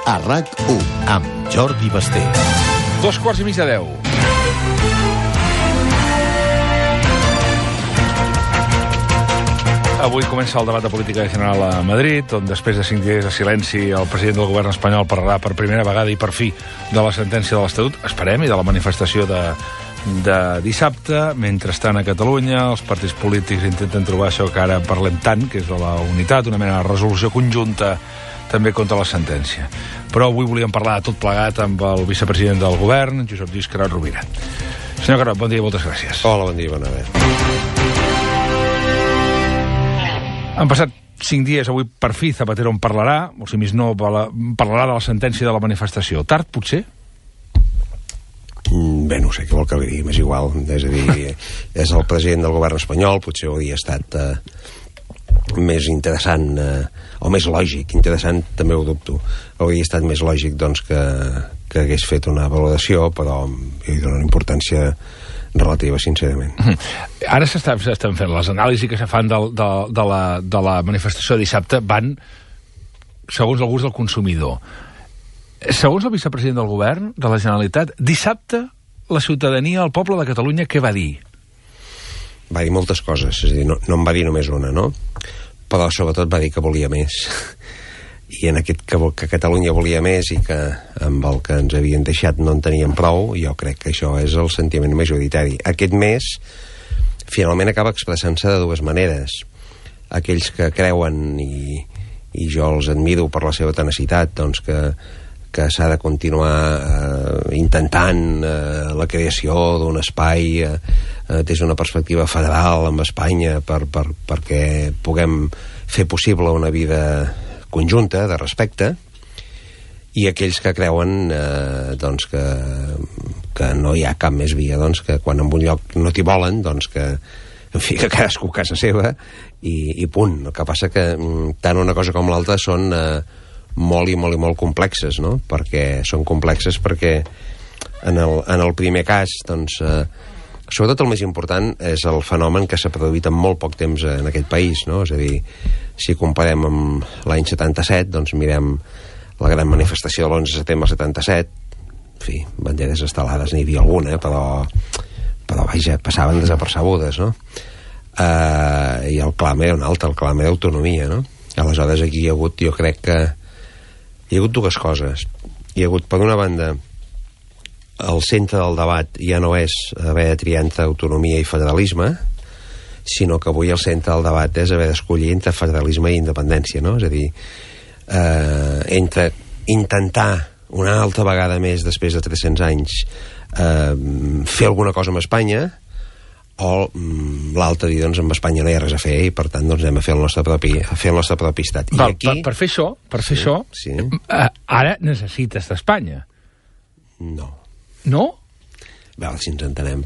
a RAC1, amb Jordi Basté. 9:45. Avui comença el debat de política general a Madrid, on després de 5 dies de silenci el president del govern espanyol parlarà per primera vegada i per fi de la sentència de l'Estatut, esperem, i de la manifestació de dissabte. Mentrestant, a Catalunya, els partits polítics intenten trobar això que ara parlem tant, que és de la unitat, una mena de resolució conjunta també contra la sentència. Però avui volíem parlar de tot plegat amb el vicepresident del govern, Josep Lluís Carod Rovira. Senyor Carod, bon dia i moltes gràcies. Hola, bon dia, bona nit. Han passat 5 dies, avui per fi Zapatero en parlarà, o si més no, parlarà de la sentència de la manifestació. Tard, potser? Bé, no sé què vol que li digui, m'és igual. És a dir, és el president del govern espanyol, potser hauria estat més interessant, o més lògic, interessant també ho dubto, hauria estat més lògic doncs, que hagués fet una valoració, però jo hi dono una importància relativa, sincerament. Ara s'estan fent les anàlisis que se fan de la manifestació de dissabte, van segons el gust del consumidor. Segons el vicepresident del govern de la Generalitat, dissabte la ciutadania, el poble de Catalunya, què va dir? Va dir moltes coses, és a dir, no en va dir només una, no? Però sobretot va dir que volia més. I en aquest que Catalunya volia més i que amb el que ens havien deixat no en teníem prou, jo crec que això és el sentiment majoritari. Aquest més finalment acaba expressant-se de dues maneres. Aquells que creuen, i jo els admiro per la seva tenacitat, doncs que s'ha de continuar intentant la creació d'un espai des d'una perspectiva federal amb Espanya perquè puguem fer possible una vida conjunta, de respecte, i aquells que creuen doncs que no hi ha cap més via, doncs que quan en un lloc no t'hi volen, doncs que en fi, que cadascú a casa seva i punt. El que passa que tant una cosa com l'altra són molt complexes, no? Perquè són complexes perquè en el primer cas, doncs sobretot el més important és el fenomen que s'ha produït en molt poc temps en aquest país, no? És a dir, si comparem amb l'any 77, doncs mirem la gran manifestació de l'11 de setembre 77, en fi, banderes estelades n'hi havia alguna, però vaja, passaven desapercebudes, no? I el clam era un altre, el clam era autonomia, no? Aleshores aquí hi ha hagut, jo crec que hi ha hagut dues coses. Hi ha hagut, per una banda, el centre del debat ja no és haver de triar entre autonomia i federalisme, sinó que avui el centre del debat és haver d'escollir entre federalisme i independència, no? És a dir, entre intentar una altra vegada més després de 300 anys fer alguna cosa amb Espanya, o l'altre dir, doncs amb Espanya no hi ha res a fer i per tant doncs anem a fer el nostre propi estat. I val, aquí... per fer això, sí. Ara necessites d'Espanya. No. No? Val, si ens entenem.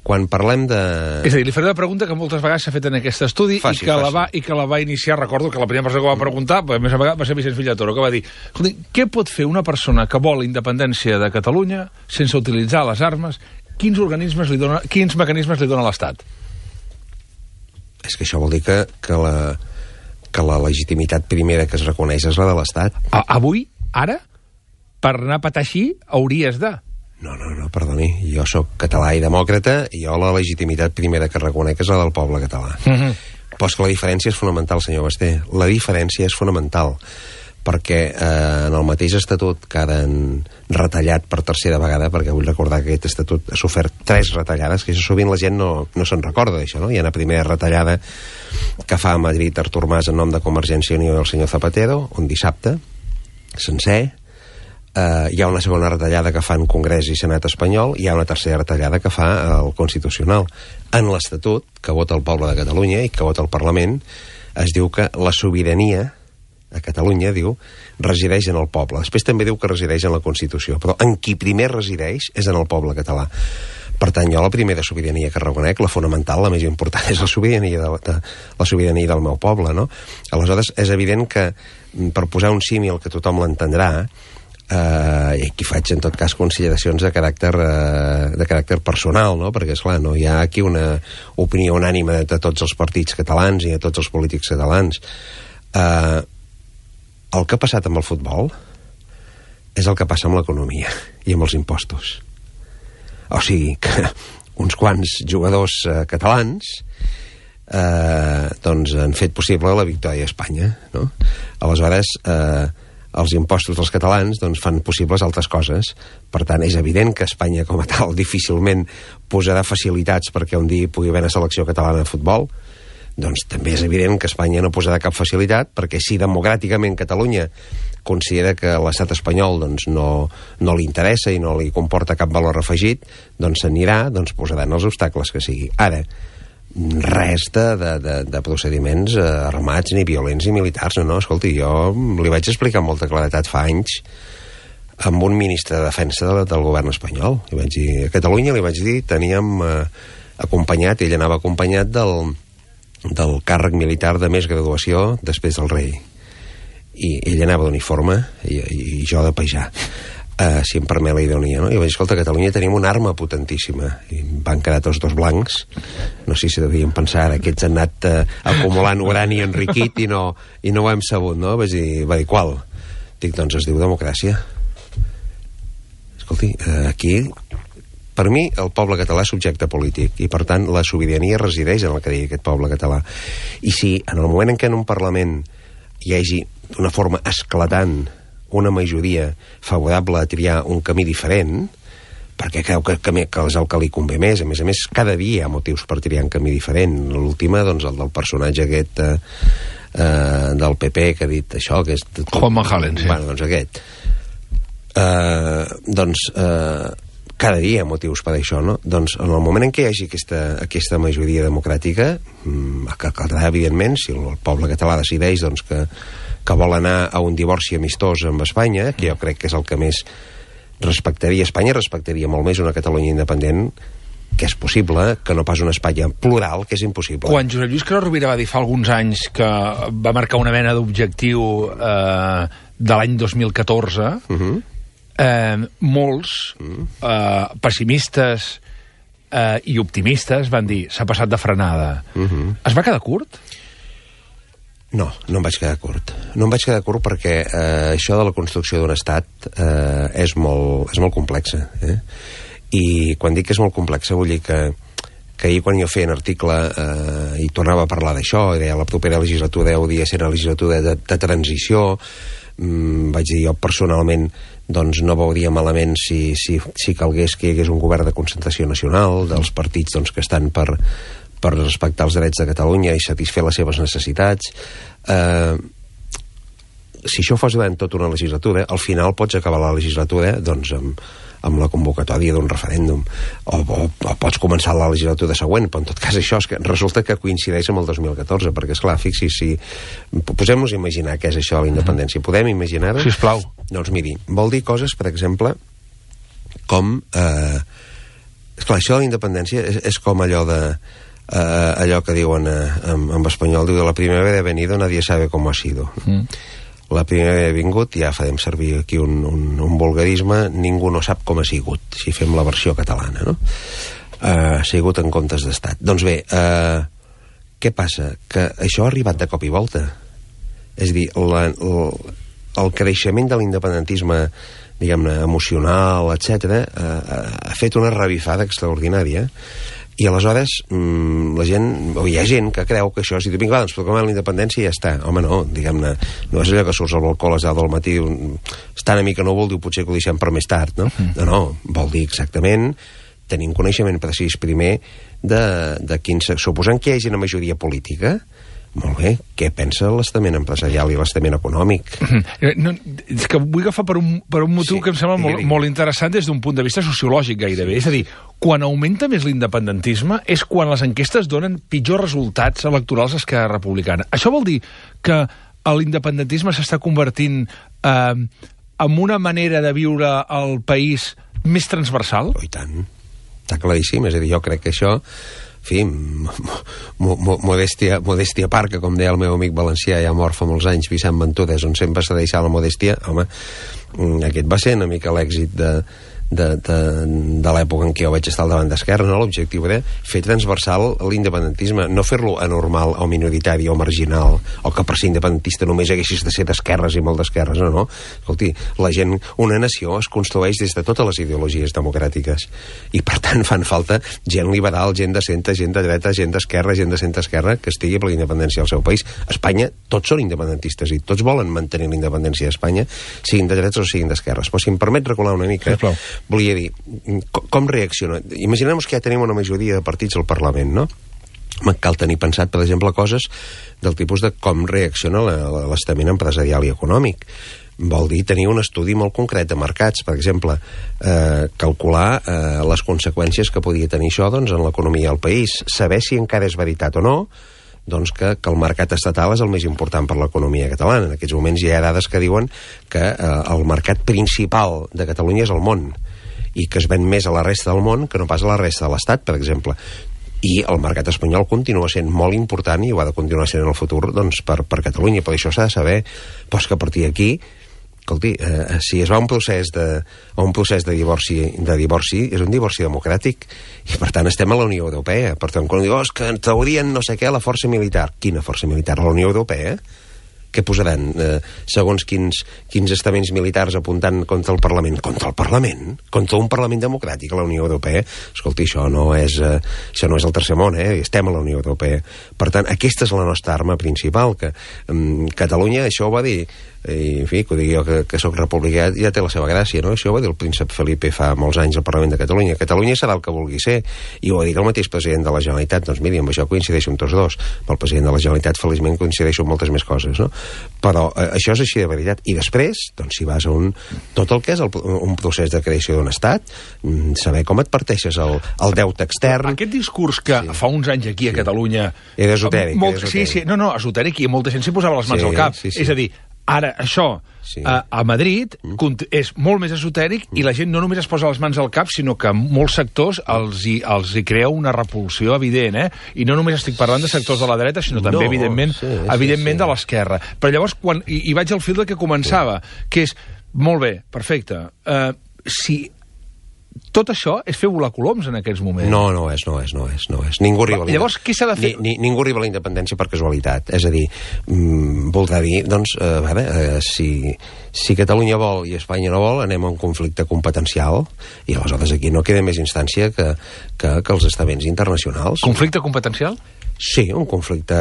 Quan parlem de... És a dir, li faré una pregunta que moltes vegades s'ha fet en aquest estudi i que la va iniciar, recordo que la primera persona que va preguntar, a més a vegades va ser Vicenç Villatoro, que va dir, escolti, què pot fer una persona que vol la independència de Catalunya sense utilitzar les armes? Quins mecanismes li dona l'Estat? És que això vol dir que la legitimitat primera que es reconeix és la de l'Estat. Avui, ara, per anar a petar així, hauries de... No, perdoni. Jo sóc català i demòcrata i jo la legitimitat primera que reconec és la del poble català. Però és que la diferència és fonamental, senyor Basté. La diferència és fonamental perquè en el mateix estatut que han retallat per tercera vegada, perquè vull recordar que aquest estatut ha sofert 3 retallades, que això sovint la gent no se'n recorda d'això, no? Hi ha una primera retallada que fa a Madrid Artur Mas en nom de Convergència i Unió i el senyor Zapatero, un dissabte sencer. Hi ha una segona retallada que fa en Congrés i Senat espanyol, i hi ha una tercera retallada que fa el Constitucional. En l'Estatut, que vota el poble de Catalunya i que vota el Parlament, es diu que la sobirania a Catalunya, diu, resideix en el poble. Després també diu que resideix en la Constitució, però en qui primer resideix és en el poble català. Per tant, jo la primera sobirania que reconec, la fonamental, la més important, és la sobirania del meu poble, no? Aleshores, és evident que, per posar un símil que tothom l'entendrà, i aquí faig en tot cas consideracions de caràcter personal, no? Perquè esclar, no hi ha aquí una opinió unànime de tots els partits catalans i de tots els polítics catalans. el que ha passat amb el futbol és el que passa amb l'economia i amb els impostos. O sigui, que uns quants jugadors catalans doncs han fet possible la victòria a Espanya, no? Aleshores, els impostos dels catalans doncs, fan possibles altres coses. Per tant, és evident que Espanya com a tal difícilment posarà facilitats perquè un dia pugui haver una selecció catalana de futbol. Doncs també és evident que Espanya no posarà cap facilitat, perquè si democràticament Catalunya considera que l'estat espanyol doncs, no li interessa i no li comporta cap valor afegit, doncs s'anirà, doncs posaran els obstacles que sigui. Ara, res de procediments armats, ni violents, ni militars. No, escolti, jo li vaig explicar amb molta claredat fa anys amb un ministre de defensa del govern espanyol. Li vaig dir, a Catalunya li vaig dir, teníem acompanyat, ell anava acompanyat del càrrec militar de més graduació després del rei. I ell anava d'uniforme i jo de pajà. Si em permet la ironia, no? I vaig dir, escolta, a Catalunya tenim una arma potentíssima. I van quedar tots dos blancs. No sé si devien pensar ara, aquests han anat acumulant urani enriquit i no ho hem sabut, no? Va dir, qual? Dic, doncs es diu democràcia. Escolti, aquí, per mi, el poble català és subjecte polític i, per tant, la sobirania resideix en el que digui aquest poble català. I si en el moment en què en un Parlament hi hagi d'una forma esclatant una majoria favorable a triar un camí diferent, perquè creu que és el que li convé més. A més, cada dia hi ha motius per triar un camí diferent. L'última, doncs, el del personatge aquest del PP que ha dit això, que és... Juan Majalen, sí. Bueno, doncs aquest. Cada dia hi ha motius per això, no? Doncs en el moment en què hi hagi aquesta majoria democràtica, que caldrà, evidentment, si el poble català decideix doncs, que vol anar a un divorci amistós amb Espanya, que jo crec que és el que més respectaria Espanya, respectaria molt més una Catalunya independent, que és possible, que no pas una Espanya plural, que és impossible. Quan Josep Lluís Carod Rovira va dir fa alguns anys que va marcar una mena d'objectiu de l'any 2014, molts pessimistes i optimistes van dir s'ha passat de frenada. Es va quedar curt? No em vaig quedar curt. No em vaig quedar curt perquè això de la construcció d'un estat és molt complexa. I quan dic que és molt complexa vull dir que ahir quan jo feia un article i tornava a parlar d'això, i deia la propera legislatura hauria de ser una legislatura de transició, vaig dir jo personalment doncs no veuria malament si calgués que hi hagués un govern de concentració nacional dels partits doncs, que estan per respectar els drets de Catalunya i satisfer les seves necessitats. Si això fos durant tota una legislatura, al final pots acabar la legislatura doncs, amb la convocatòria d'un referèndum o pots començar la legislatura següent, però en tot cas això és que resulta que coincideix amb el 2014, perquè esclar, fixi, si posem-nos a imaginar què és això de la independència, podem imaginar-ho? Sisplau. Doncs miri, vol dir coses, per exemple, com esclar, això de la independència és com allò que diuen en espanyol, diu, la primavera ha venido, nadie sabe cómo ha sido. La primavera ha vingut, ja farem servir aquí un vulgarisme, ningú no sap com ha sigut, si fem la versió catalana, no? Ha sigut en comptes d'estat. Doncs bé, què passa? Que això ha arribat de cop i volta. És a dir, el creixement de l'independentisme, diguem-ne, emocional, etc., ha fet una revifada extraordinària. I aleshores la gent, o hi ha gent que creu que això, si tu vinga, doncs proclamem la independència i ja està. Home, no, diguem-ne, no és allò que surts al balcó a les 10 del matí, està una mica núvol, diu, potser que ho deixem per més tard, no? No, vol dir exactament tenir un coneixement precís primer de quin... Suposant que hi hagi una majoria política, molt bé, què pensa l'estament empresarial i l'estament econòmic? No, és que vull agafar per un motiu que em sembla molt interessant des d'un punt de vista sociològic gairebé. És a dir, quan augmenta més l'independentisme és quan les enquestes donen pitjors resultats electorals a Esquerra Republicana. Això vol dir que l'independentisme s'està convertint en una manera de viure el país més transversal? Oh, i tant. Està claríssim. És a dir, jo crec que això... En fi, modèstia a part, que com deia el meu amic valencià, ja mort fa molts anys, Vicent Ventura, on sempre s'ha deixat la modèstia, home, aquest va ser una mica l'èxit de l'època en què jo vaig estar al davant d'Esquerra, no? L'objectiu era fer transversal l'independentisme, no fer-lo anormal o minoritari o marginal, o que per ser independentista només haguessis de ser d'esquerres i molt d'esquerres, no. Escolti, la gent, una nació es construeix des de totes les ideologies democràtiques, i per tant fan falta gent liberal, gent de centre, gent de dreta, gent d'esquerra, gent de centre-esquerra, que estigui per la independència del seu país. A Espanya tots són independentistes i tots volen mantenir la independència d'Espanya, siguin de dretes o siguin d'esquerres. Però si em permet recular una mica, volia dir, com reacciona? Imaginem que ja tenim una majoria de partits al Parlament, no? Cal tenir pensat, per exemple, coses del tipus de com reacciona l'estament empresarial i econòmic. Vol dir tenir un estudi molt concret de mercats, per exemple, calcular les conseqüències que podia tenir això, doncs, en l'economia del país, saber si encara és veritat o no, doncs que el mercat estatal és el més important per l'economia catalana. En aquests moments hi ha dades que diuen que el mercat principal de Catalunya és el món, i que es ven més a la resta del món que no pas a la resta de l'Estat, per exemple. I el mercat espanyol continua sent molt important i ho ha de continuar sent en el futur, doncs, per Catalunya. Per això s'ha de saber, doncs, que a partir d'aquí, escolti, si es va a un procés de divorci, és un divorci democràtic, i per tant estem a la Unió Europea. Per tant, quan diu, que ens traurien no sé què a la força militar. Quina força militar? A la Unió Europea? Què posaran, segons quins estaments militars apuntant contra el Parlament? Contra el Parlament? Contra un Parlament democràtic a la Unió Europea? Escolti, això no és el tercer món, estem a la Unió Europea. Per tant, aquesta és la nostra arma principal, que Catalunya, això ho va dir, i en fi, que ho digui jo que soc republicà, ja té la seva gràcia, no? Això ho va dir el príncep Felipe fa molts anys al Parlament de Catalunya. Catalunya serà el que vulgui ser, i ho va dir el mateix president de la Generalitat. Doncs miri, amb això coincideixo amb tots dos. Amb el president de la Generalitat feliçment coincideixo amb moltes més coses, no? Però això és així de veritat. I després, doncs, si vas a tot el que és un procés de creació d'un estat, saber com et parteixes el deute extern. Aquest discurs que fa uns anys aquí a Catalunya era esotèric. Sí, esotèric, i molta gent s'hi posava les mans al cap. És a dir, ara, això, a Madrid, és molt més esotèric, i la gent no només es posa les mans al cap, sinó que molts sectors els hi crea una repulsió evident, I no només estic parlant de sectors de la dreta, sinó també, evidentment, de l'esquerra. Però llavors, i vaig al fil del que començava, que és, molt bé, perfecte, si tot això és fer volar coloms en aquests moments. No és. Ningú arriba a la Llavors, què s'ha de fer? Ningú arriba a la independència per casualitat. És a dir, voldrà dir, doncs, si Catalunya vol i Espanya no vol, anem a un conflicte competencial, i aleshores aquí no queda més instància que els estaments internacionals. Conflicte competencial? Sí, un conflicte...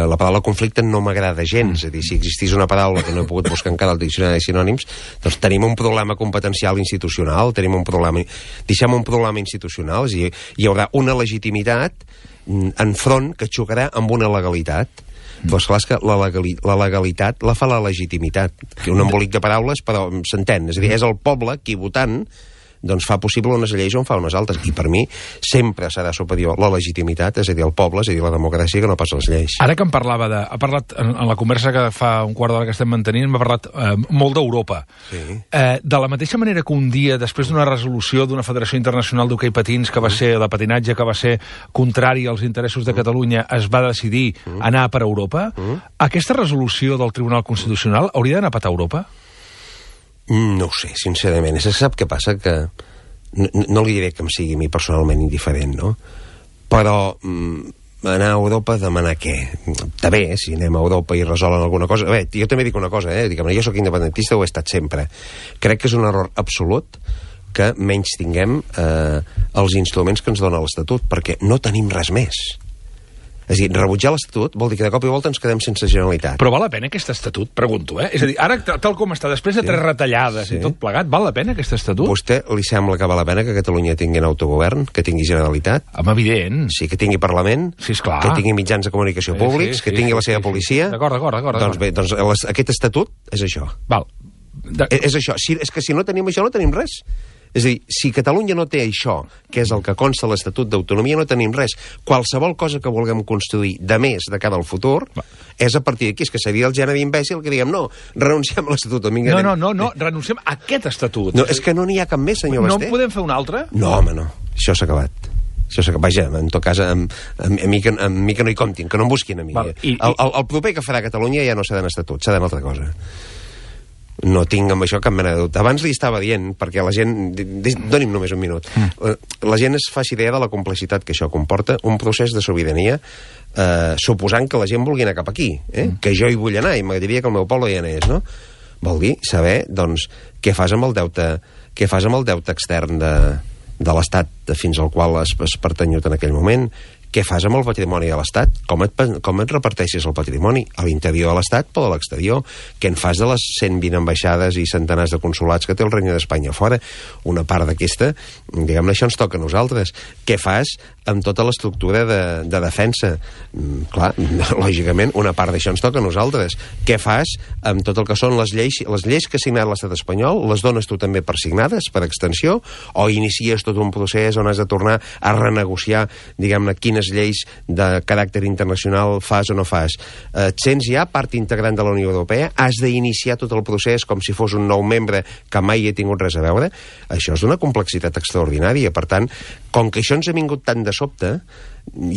La paraula conflicte no m'agrada gens. És a dir, si existís una paraula que no he pogut buscar encara al diccionari de sinònims, doncs tenim un problema competencial institucional, deixem un problema institucional, és a dir, hi haurà una legitimitat enfront que xocarà amb una legalitat. Però esclar, és que la legalitat la fa la legitimitat, que un embolic de paraules, però s'entén. És a dir, és el poble qui votant doncs fa possible unes lleis on fa unes altres, i per mi sempre serà superior la legitimitat, és a dir, el poble, és a dir, la democràcia, que no pas les lleis. Ara que ha parlat en la conversa que fa un quart d'hora que estem mantenint, m'ha parlat molt d'Europa. Sí. De la mateixa manera que un dia, després d'una resolució d'una Federació Internacional d'Hoquei Patins, que va ser de patinatge, que va ser contrari als interessos de Catalunya, es va decidir anar per Europa, aquesta resolució del Tribunal Constitucional hauria d'anar a patar a Europa? No ho sé, sincerament. Sap què passa? Que no li diré que em sigui a mi personalment indiferent, no? Però anar a Europa a demanar què? Està bé, si anem a Europa i resolen alguna cosa... Bé, jo també dic una cosa, jo sóc independentista, ho he estat sempre. Crec que és un error absolut que menys tinguem els instruments que ens dona l'Estatut, perquè no tenim res més. És a dir, rebutjar l'Estatut vol dir que de cop i volta ens quedem sense Generalitat. Però val la pena aquest Estatut, pregunto, És a dir, ara, tal com està, després de 3 retallades i tot plegat, val la pena aquest Estatut? A vostè li sembla que val la pena que Catalunya tingui autogovern, que tingui Generalitat? Home, evident. Sí, que tingui Parlament, sí, esclar. Que tingui mitjans de comunicació públics, que tingui la seva policia... D'acord. Doncs bé, aquest Estatut és això. Val. És això. És que si no tenim això, no tenim res. És a dir, si Catalunya no té això, que és el que consta a l'Estatut d'Autonomia, no tenim res. Qualsevol cosa que vulguem construir de més de cara al futur és a partir d'aquí. És que seria el gènere d'imbècil que diguem, no, renunciem a l'Estatut. No, renunciem a aquest Estatut. No, és que no n'hi ha cap més, senyor Basté. No en podem fer un altre? No, home, no. Això s'ha acabat. Vaja, en tot cas, amb mi que no hi comptin, que no em busquin a mi. El proper que farà Catalunya ja no serà en Estatut, serà en altra cosa. No tinc amb això cap mena de dubte. Abans li estava dient, perquè la gent... Doni'm només un minut. La gent es faci idea de la complexitat que això comporta, un procés de sobirania, suposant que la gent vulgui anar cap aquí, que jo hi vull anar, i m'agradaria que el meu poble hi anés, no? Vol dir saber, doncs, què fas amb el deute extern de l'Estat fins al qual has pertanyut en aquell moment, què fas amb el patrimoni de l'Estat, com et reparteixes el patrimoni a l'interior de l'Estat o a l'exterior, què en fas de les 120 ambaixades i centenars de consulats que té el Regne d'Espanya fora. Una part d'aquesta, diguem-ne, això ens toca a nosaltres. Què fas amb tota l'estructura de defensa? Clar, lògicament, una part d'això ens toca a nosaltres. Què fas amb tot el que són les lleis que ha signat l'Estat espanyol? Les dones tu també per signades, per extensió? O inicies tot un procés on has de tornar a renegociar, diguem-ne, quines lleis de caràcter internacional fas o no fas? Et sents ja part integrant de la Unió Europea? Has d'iniciar tot el procés com si fos un nou membre que mai hi ha tingut res a veure? Això és d'una complexitat extraordinària. Per tant, com que això ens ha vingut tan de sobte,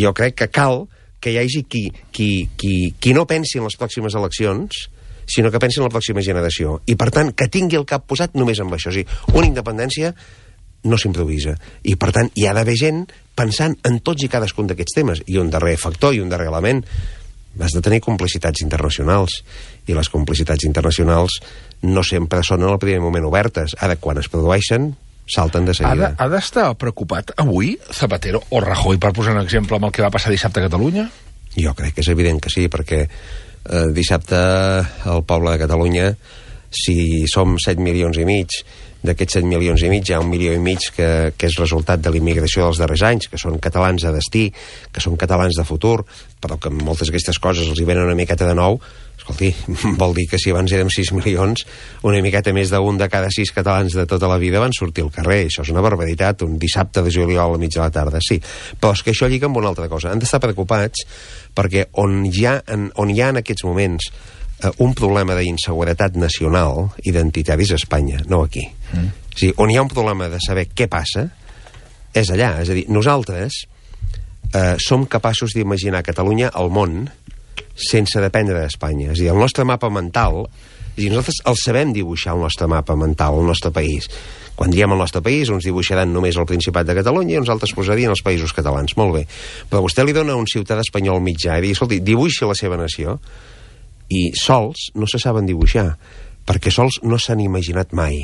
jo crec que cal que hi hagi qui no pensi en les pròximes eleccions, sinó que pensi en la pròxima generació. I, per tant, que tingui el cap posat només amb això. O sigui, una independència no s'improvisa. I, per tant, hi ha d'haver gent pensant en tots i cadascun d'aquests temes. I un darrer factor i un darrer element, has de tenir complicitats internacionals. I les complicitats internacionals no sempre són en el primer moment obertes. Ara, quan es produeixen, salten de seguida. Ha d'estar preocupat avui Zapatero o Rajoy, per posar un exemple, amb el que va passar dissabte a Catalunya? Jo crec que és evident que sí, perquè dissabte el poble de Catalunya, si som 7 milions i mig, d'aquests 7 milions i mig hi ha 1,5 milions que és resultat de l'immigració dels darrers anys, que són catalans de destí, que són catalans de futur, però que moltes d'aquestes coses els hi venen una miqueta de nou. Escolti, vol dir que si abans érem 6 milions, una miqueta més d'un de cada 6 catalans de tota la vida van sortir al carrer. Això és una barbaritat, un dissabte de juliol a mig de la tarda, sí. Però és que això lliga amb una altra cosa. Han d'estar preocupats perquè on hi ha en aquests moments un problema d'inseguretat nacional, identitaris a Espanya, no aquí. O sigui, on hi ha un problema de saber què passa, és allà. És a dir, nosaltres som capaços d'imaginar Catalunya al món sense dependre d'Espanya. És a dir, el nostre mapa mental, nosaltres el sabem dibuixar, el nostre mapa mental, el nostre país. Quan diem el nostre país, uns dibuixaran només el Principat de Catalunya i uns altres posarien els països catalans. Molt bé. Però vostè li dona a un ciutadà espanyol mitjà i diu, escolti, dibuixi la seva nació, i sols no se saben dibuixar, perquè sols no s'han imaginat mai.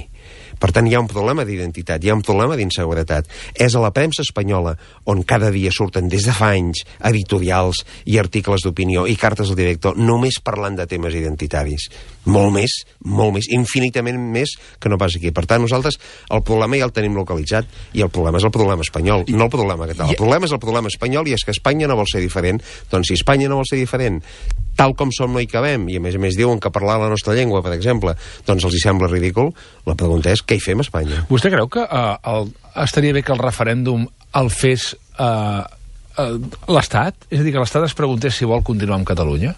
Per tant, hi ha un problema d'identitat, hi ha un problema d'inseguretat. És a la premsa espanyola on cada dia surten des de fa anys editorials i articles d'opinió i cartes al director només parlant de temes identitaris. Molt més, infinitament més que no pas aquí. Per tant, nosaltres el problema ja el tenim localitzat i el problema és el problema espanyol, no el problema català. El problema és el problema espanyol i és que Espanya no vol ser diferent. Doncs si Espanya no vol ser diferent, tal com som no hi cabem, i a més diuen que parlar la nostra llengua, per exemple, doncs els hi sembla ridícul, la pregunta és què hi fem a Espanya? Vostè creu que estaria bé que el referèndum el fes l'Estat? És a dir, que l'Estat es preguntés si vol continuar amb Catalunya?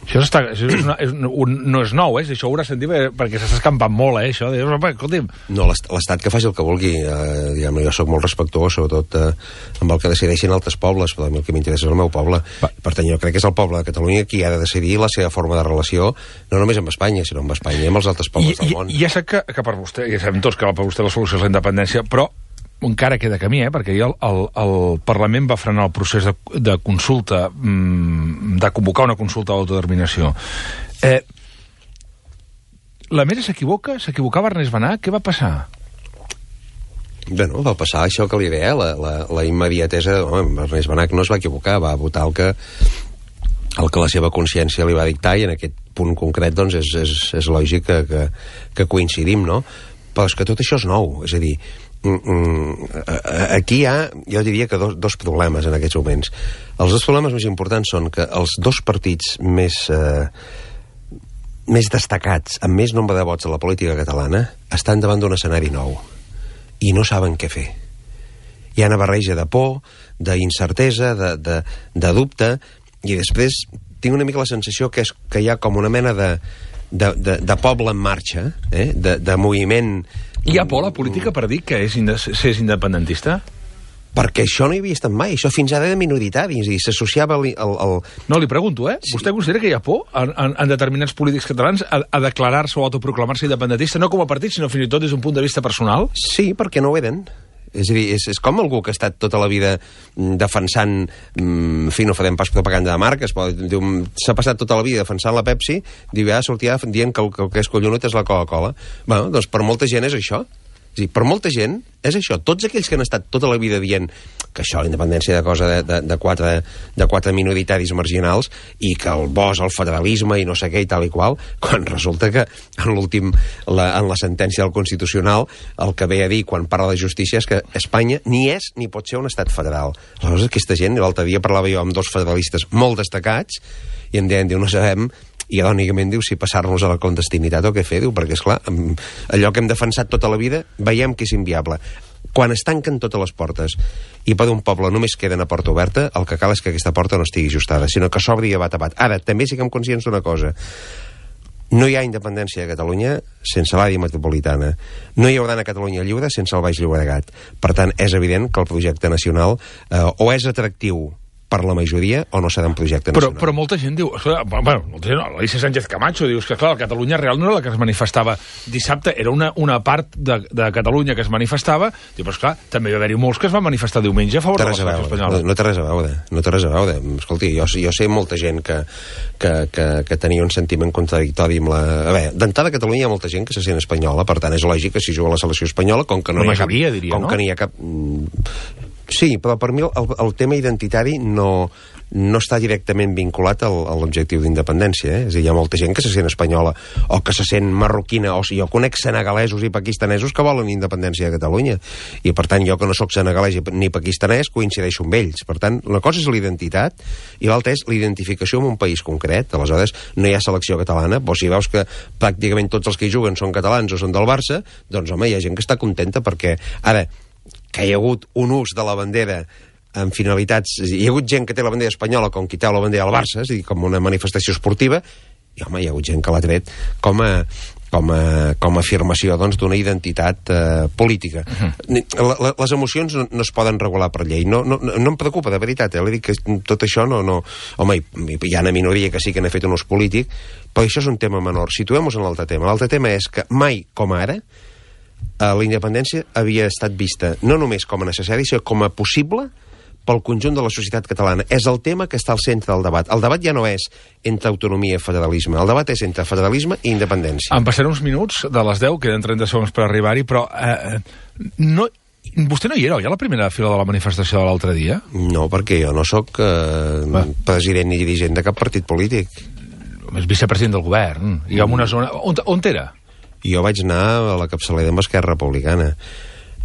Això no és nou, això ho haurà sentit perquè s'està escampant molt, això. Escolti'm. No, l'Estat que faci el que vulgui. Diguem-ne, jo soc molt respectuós, sobretot amb el que decideixin altres pobles, però a mi el que m'interessa és el meu poble. Per tant, jo crec que és el poble de Catalunya qui ha de decidir la seva forma de relació, no només amb Espanya, sinó amb Espanya i amb els altres pobles del món. Ja sé que per vostè, ja sabem tots que per vostè la solució és la independència, però encara queda camí, perquè el Parlament va frenar el procés de consulta, de convocar una consulta d'autodeterminació. La Mesa s'equivocava Ernest Benach? Què va passar? Bueno, va passar això que li deia, la immediatesa. Ernest Benach no es va equivocar, va votar el que la seva consciència li va dictar, i en aquest punt concret doncs és lògic que coincidim, no? Però és que tot això és nou, és a dir, aquí hi ha, jo diria que dos problemes en aquests moments. Els dos problemes més importants són que els dos partits més destacats, amb més nombre de vots a la política catalana, estan davant d'un escenari nou i no saben què fer. Hi ha una barreja de por, d'incertesa, de dubte, i després tinc una mica la sensació que hi ha com una mena de poble en marxa, de moviment. Hi ha por a la política per dir que és independentista? perquè això no hi havia estat mai, això fins ara era minoritari, és a dir, s'associava No, li pregunto, Sí. Vostè considera que hi ha por en determinats polítics catalans a declarar-se o autoproclamar-se independentista, no com a partit, sinó fins i tot des d'un punt de vista personal? Sí, perquè no ho eren. És a dir, és com algú que ha estat tota la vida defensant, en fi, no farem pas propaganda de marques, però s'ha passat tota la vida defensant la Pepsi, diu, sortia dient que el que és collonut és la Coca-Cola. Bueno, doncs per molta gent és això. És a dir, per molta gent és això. Tots aquells que han estat tota la vida dient que això, la independència de cosa de quatre minoritaris marginals i que el bo és el federalisme i no sé què i tal i qual, quan resulta que en la sentència del Constitucional el que ve a dir quan parla de justícia és que Espanya ni és ni pot ser un estat federal. Aleshores, aquesta gent, l'altre dia parlava jo amb dos federalistes molt destacats i em deien, no sabem, i irònicament diu si passar-nos a la clandestinitat o què fer, diu, perquè esclar, allò que hem defensat tota la vida veiem que és inviable. Quan es tanquen totes les portes i per un poble només queda una porta oberta, el que cal és que aquesta porta no estigui ajustada, sinó que s'obri a bat a bat. Ara, també siguem conscients d'una cosa: no hi ha independència a Catalunya sense l'àrea metropolitana. No hi haurà a Catalunya lliure sense el Baix Llobregat. Per tant, és evident que el projecte nacional o és atractiu per la majoria o no serà un projecte nacional. Però molta gent diu... Bueno, molta gent, l'Alicia Sánchez Camacho diu que, clar, la Catalunya real no era la que es manifestava dissabte, era una part de Catalunya que es manifestava. Diu, però esclar, també va haver-hi molts que es van manifestar diumenge a favor de l'estat espanyol. No té res a veure, no té res a veure. Escolti, jo sé molta gent que tenia un sentiment contradictori amb la... A veure, d'entrada a Catalunya hi ha molta gent que se sent espanyola, per tant és lògic que si juga a la selecció espanyola, com que no hi ha cap... diria, no? Com que n'hi ha cap... Sí, però per mi el tema identitari no està directament vinculat a l'objectiu d'independència. És a dir, hi ha molta gent que se sent espanyola o que se sent marroquina, o jo conec senegalesos i pakistanesos que volen independència de Catalunya, i per tant jo que no sóc senegalès ni pakistanès coincideixo amb ells. Per tant, una cosa és la identitat i l'altra és la identificació amb un país concret. Aleshores no hi ha selecció catalana, però si veus que pràcticament tots els que hi juguen són catalans o són del Barça, doncs home, hi ha gent que està contenta perquè ara que hi ha hagut un ús de la bandera amb finalitats... Hi ha hagut gent que té la bandera espanyola com qui té la bandera del Barça, és a dir, com una manifestació esportiva, i home, hi ha hagut gent que l'ha tret com a afirmació d'una identitat política. Les emocions no es poden regular per llei. No em preocupa, de veritat, li dic que tot això no... Home, hi ha una minoria que sí que n'ha fet un ús polític, però això és un tema menor. Situem-nos en l'altre tema. L'altre tema és que mai, com ara, la independència havia estat vista no només com a necessari, sinó com a possible pel conjunt de la societat catalana. És el tema que està al centre del debat. El debat ja no és entre autonomia i federalisme. El debat és entre federalisme i independència. Em passaré uns minuts de les 10, queden 30 segons per arribar-hi, però vostè no hi era, oi, a la primera fila de la manifestació de l'altre dia? No, perquè jo no sóc president ni dirigent de cap partit polític. És vicepresident del govern. I en una zona... On era? Jo vaig anar a la capçalera amb Esquerra Republicana.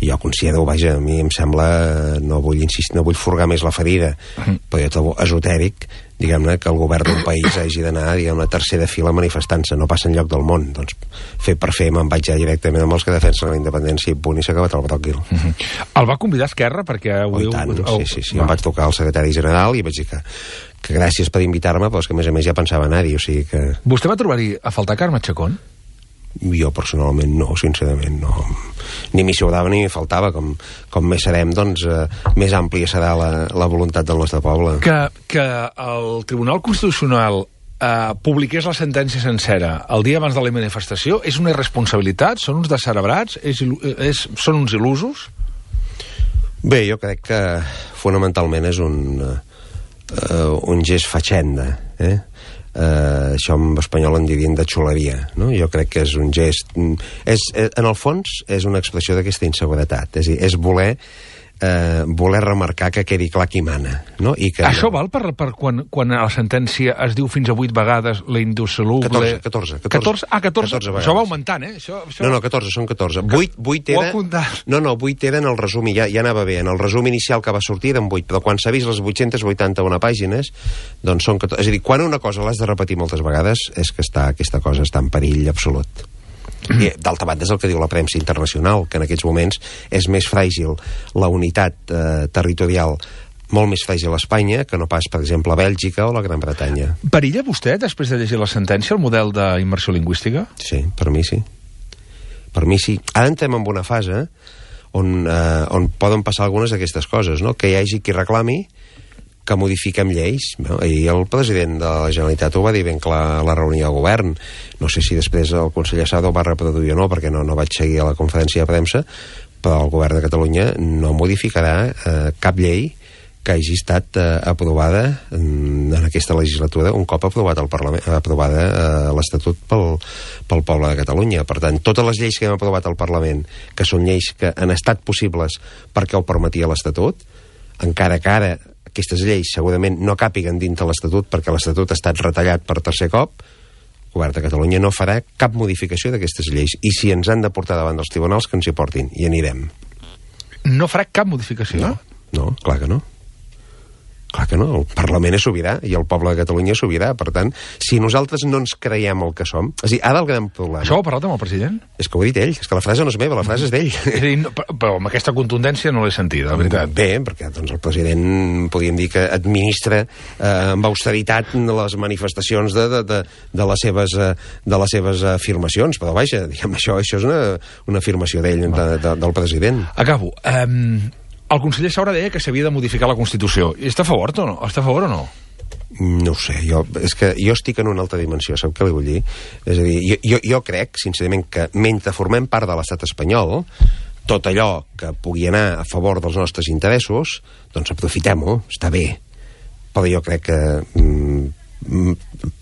Jo considero, vaja, a mi em sembla, no vull insistir, no vull furgar més la ferida, però jo trobo esotèric, diguem-ne, que el govern d'un país hagi d'anar, diguem-ne, a tercera fila manifestant-se, no passa enlloc del món. Doncs, fer per fer, me'n vaig ja directament amb els que defensen la independència i punt, i s'ha acabat el bròquil. El va convidar Esquerra perquè... Sí, em vaig trucar al secretari general i vaig dir que gràcies per invitar-me, però és que a més ja pensava anar-hi, o sigui que... Vostè va trobar-hi a faltar Carme Chacón? Jo personalment no, sincerament no. Ni m'hi sobrava ni m'hi faltava. Com més serem, doncs més àmplia serà la voluntat del nostre poble. Que el Tribunal Constitucional publiqués la sentència sencera el dia abans de la manifestació és una irresponsabilitat? Són uns descerebrats? Són uns il·lusos? Bé, jo crec que fonamentalment és un gest fatxenda, això en espanyol en dirien de xuleria, no? Jo crec que és un gest... en el fons és una expressió d'aquesta inseguretat, és a dir, és voler remarcar que quedi clar qui mana, no? I que això val per quan a la sentència es diu fins a 8 vegades la indissoluble... 14. 14. Això va augmentant, Això... No, 14, són 14. 8 era... No, 8 era en el resum, i ja anava bé. En el resum inicial que va sortir eren 8, però quan s'ha vist les 881 pàgines, doncs són 14. És a dir, quan una cosa l'has de repetir moltes vegades és que aquesta cosa està en perill absolut. I d'altra banda és el que diu la premsa internacional, que en aquests moments és més fràgil la unitat territorial, molt més fràgil a Espanya que no pas, per exemple, a Bèlgica o la Gran Bretanya. Perilla vostè, després de llegir la sentència, el model d'immersió lingüística? Sí, per mi sí. Per mi sí. Ara entrem en una fase on poden passar algunes d'aquestes coses, no? Que hi hagi qui reclami que modifiquem lleis. No? I el president de la Generalitat ho va dir ben clar a la reunió de govern. No sé si després el conseller Sado ho va reproduir o no, perquè no vaig seguir a la conferència de premsa, però el govern de Catalunya no modificarà cap llei que hagi estat aprovada en aquesta legislatura un cop aprovat al Parlament, aprovada l'Estatut pel poble de Catalunya. Per tant, totes les lleis que hem aprovat al Parlament, que són lleis que han estat possibles perquè ho permetia l'Estatut, encara que ara aquestes lleis segurament no càpiguen dintre l'Estatut perquè l'Estatut ha estat retallat per tercer cop, el govern de Catalunya no farà cap modificació d'aquestes lleis. I si ens han de portar davant dels tribunals, que ens hi portin, i anirem. No farà cap modificació? No, clar que no. Clar que no, el Parlament és sobirà i el poble de Catalunya és sobirà. Per tant, si nosaltres no ens creiem el que som... És a dir, ara el gran problema... Això ho ha parlat amb el president? És que ho ha dit ell, és que la frase no és meva, la frase és d'ell. És a dir, no, però amb aquesta contundència no l'he sentida, la veritat. Bé, perquè doncs, el president, podríem dir que administra amb austeritat les manifestacions de les seves afirmacions, però vaja, diguem, això és una afirmació d'ell, del president. Acabo. El conseller Saura deia que s'havia de modificar la Constitució. I està a favor o no? Està a favor o no? No ho sé, és que jo estic en una altra dimensió, sap què li vull dir? És a dir, jo crec, sincerament, que mentre formem part de l'estat espanyol, tot allò que pugui anar a favor dels nostres interessos, doncs aprofitem-ho, està bé. Però jo crec que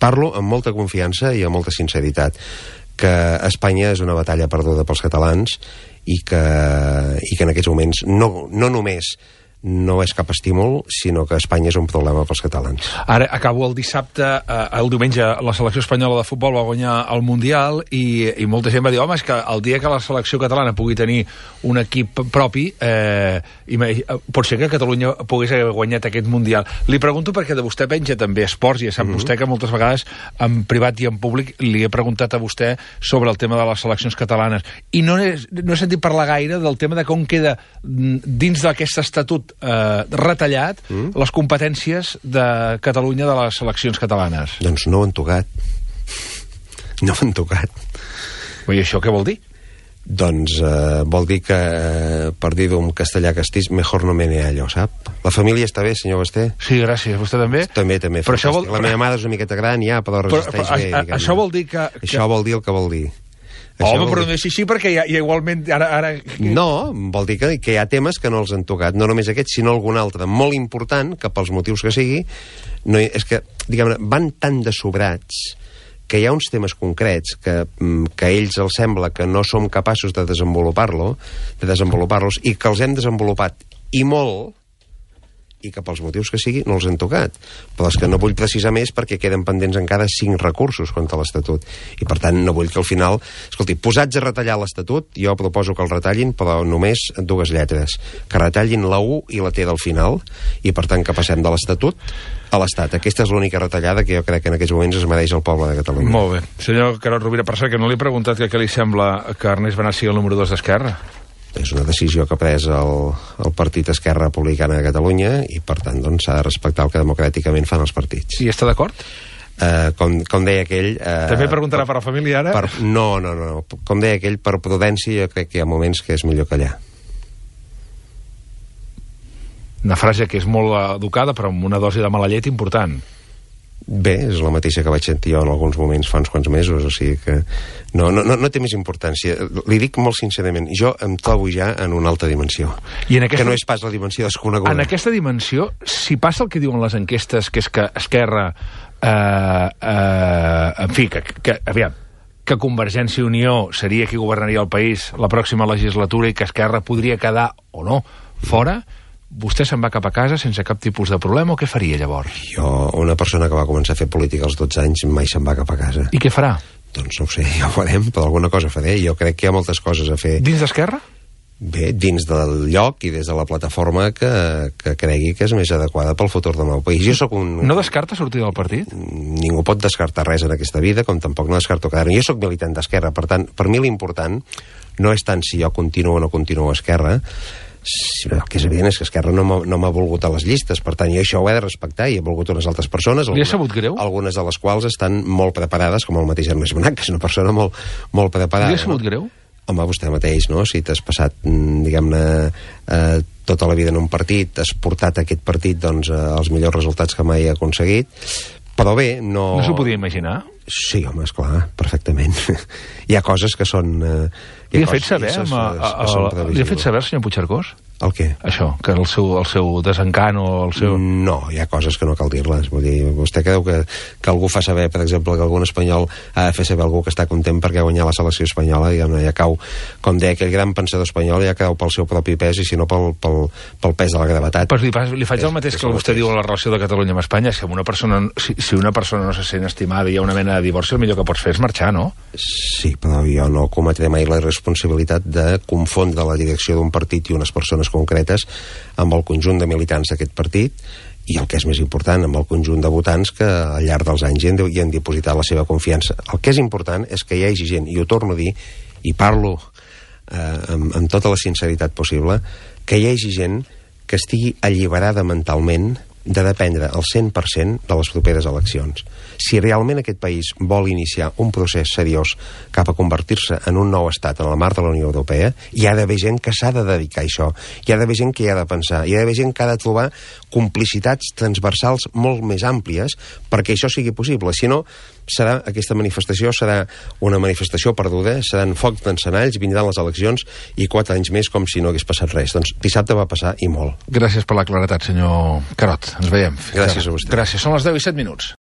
parlo amb molta confiança i amb molta sinceritat, que Espanya és una batalla perduda pels catalans i que en aquests moments no només no és cap estímul, sinó que Espanya és un problema pels catalans. Ara acabo el dissabte, el diumenge la selecció espanyola de futbol va guanyar el Mundial i molta gent va dir, home, és que el dia que la selecció catalana pugui tenir un equip propi pot ser que Catalunya pogués haver guanyat aquest Mundial. Li pregunto perquè de vostè penja també esports i ja sap vostè que moltes vegades en privat i en públic li he preguntat a vostè sobre el tema de les seleccions catalanes i no he sentit parlar gaire del tema de com queda dins d'aquest estatut retallat les competències de Catalunya de les seleccions catalanes. Doncs no ho han tocat. No ho han tocat. I això què vol dir? Doncs vol dir que, per dir-ho en castellà castís, mejor no me neallo, sap? La família està bé, senyor Basté? Sí, gràcies. Vostè també? També. Però això vol... La meva mare és una miqueta gran ja, però resisteix bé. Això vol dir que... Això vol dir el que vol dir. Home, però no és així perquè ja igualment ara... No, vol dir que hi ha temes que no els han tocat, no només aquests, sinó algun altre molt important, que pels motius que sigui, és que, diguem-ne, van tan de sobrats que hi ha uns temes concrets que a ells els sembla que no som capaços de desenvolupar-los i que els hem desenvolupat i molt, i que pels motius que sigui no els han tocat. Però és que no vull precisar més perquè queden pendents encara 5 recursos contra l'Estatut. I per tant no vull que al final... Escolti, posats a retallar l'Estatut, jo proposo que el retallin, però només 2 lletres. Que retallin la U i la T del final, i per tant que passem de l'Estatut a l'Estat. Aquesta és l'única retallada que jo crec que en aquests moments es mereix el poble de Catalunya. Molt bé. Senyor Carod Rovira, per cert, que no li he preguntat que què li sembla que Ernest Benassi sigui el número 2 d'Esquerra. És una decisió que ha pres el Partit Esquerra Republicana de Catalunya i, per tant, doncs, s'ha de respectar el que democràticament fan els partits. I està d'acord? Com deia aquell... També preguntarà per la família, ara? No. Com deia aquell, per prudència, jo crec que hi ha moments que és millor callar. Una frase que és molt educada, però amb una dosi de mala llet important. Bé, és la mateixa que vaig sentir jo en alguns moments fa uns quants mesos, o sigui que no té més importància. Li dic molt sincerament, jo em trobo ja en una altra dimensió, que no és pas la dimensió desconeguda. En aquesta dimensió, si passa el que diuen les enquestes, que és que Esquerra, en fi, que Convergència i Unió seria qui governaria el país la pròxima legislatura i que Esquerra podria quedar, o no, fora... Vostè se'n va cap a casa sense cap tipus de problema o què faria llavors? Jo, una persona que va començar a fer política als 12 anys, mai se'n va cap a casa. I què farà? Doncs no ho sé, ja ho farem, però alguna cosa faré. Jo crec que hi ha moltes coses a fer. Dins d'Esquerra? Bé, dins del lloc i des de la plataforma que cregui que és més adequada pel futur del meu país. Jo soc un... No descarta sortir del partit? Ningú pot descartar res en aquesta vida, com tampoc no descarto quedar-me. Jo soc militant d'Esquerra, per tant, per mi l'important no és tant si jo continuo o no continuo a Esquerra. El que és evident és que Esquerra no m'ha volgut a les llistes, per tant jo això ho he de respectar i he volgut unes altres persones, li ha sabut greu? Algunes de les quals estan molt preparades, com el mateix Ernest Benassi, que és una persona molt preparada. Li ha sabut greu? Home, vostè mateix, no? Si t'has passat, diguem-ne, tota la vida en un partit, has portat aquest partit, doncs, els millors resultats que mai ha aconseguit, però bé, no... No s'ho podia imaginar? Sí, home, esclar, perfectament. Hi ha coses que són... Li ha fet saber, senyor Puigcercós? El què? Això, que el seu desencant o el seu... No, hi ha coses que no cal dir-les. Vull dir, vostè creu que algú fa saber, per exemple, que algun espanyol ha de fer saber algú que està content perquè ha guanyat la selecció espanyola, diguem-ne, ja cau, com deia aquell gran pensador espanyol, ja cau pel seu propi pes i si no pel pes de la gravetat. Pues li faig el mateix que vostè diu a la relació de Catalunya amb Espanya. Si una persona no se sent estimada i hi ha una mena de divorci, el millor que pots fer és marxar, no? Sí, però jo no cometré mai la responsabilitat de confondre la direcció d'un partit i unes persones concretes amb el conjunt de militants d'aquest partit i el que és més important, amb el conjunt de votants que al llarg dels anys hi han dipositat la seva confiança. El que és important és que hi hagi gent, i ho torno a dir, i parlo amb tota la sinceritat possible, que hi hagi gent que estigui alliberada mentalment de dependre al 100% de les properes eleccions. Si realment aquest país vol iniciar un procés seriós cap a convertir-se en un nou estat en el marc de la Unió Europea, hi ha d'haver gent que s'ha de dedicar a això, hi ha d'haver gent que hi ha de pensar, hi ha d'haver gent que ha de trobar complicitats transversals molt més àmplies perquè això sigui possible. Si no, aquesta manifestació serà una manifestació perduda, seran focs d'encenalls, vindran les eleccions i 4 anys més com si no hagués passat res. Doncs dissabte va passar i molt. Gràcies per la claretat, senyor Carod. Ens veiem. Gràcies a vostè. Gràcies. Són les 10:07.